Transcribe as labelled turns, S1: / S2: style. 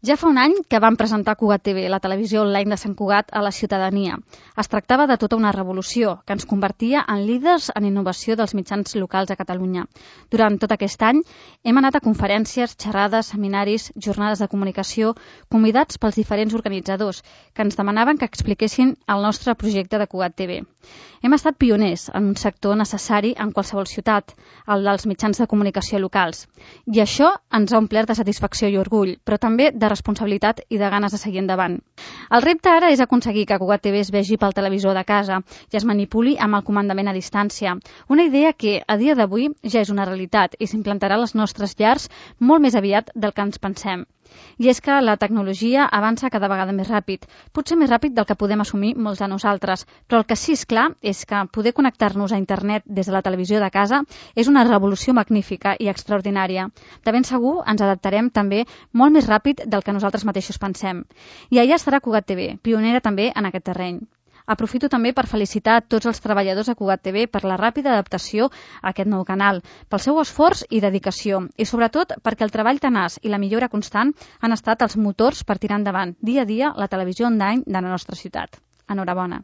S1: Ja fa un any que vam presentar Cugat TV, la televisió online de Sant Cugat, a la ciutadania. Es tractava de tota una revolució que ens convertia en líders en innovació dels mitjans locals a Catalunya. Durant tot aquest any hem anat a conferències, xerrades, seminaris, jornades de comunicació, convidats pels diferents organitzadors que ens demanaven que expliquessin el nostre projecte de Cugat TV. Hem estat pioners en un sector necessari en qualsevol ciutat, el dels mitjans de comunicació locals. I això ens ha omplert de satisfacció i orgull, però també de responsabilitat i de ganes de seguir endavant. El repte ara és aconseguir que Cugat TV es vegi pel televisor de casa i es manipuli amb el comandament a distància. Una idea que, a dia d'avui, ja és una realitat i s'implantarà a les nostres llars molt més aviat del que ens pensem. I és que la tecnologia avança cada vegada més ràpid, potser més ràpid del que podem assumir molts de nosaltres, però el que sí és clar és que poder connectar-nos a internet des de la televisió de casa és una revolució magnífica i extraordinària. De ben segur ens adaptarem també molt més ràpid del que nosaltres mateixos pensem. I allà estarà Cugat TV, pionera també en aquest terreny. Aprofito també per felicitar tots els treballadors de Cugat TV per la ràpida adaptació a aquest nou canal, pel seu esforç i dedicació, i sobretot perquè el treball tenaç i la millora constant han estat els motors per tirar endavant dia a dia la televisió online de la nostra ciutat. Enhorabona.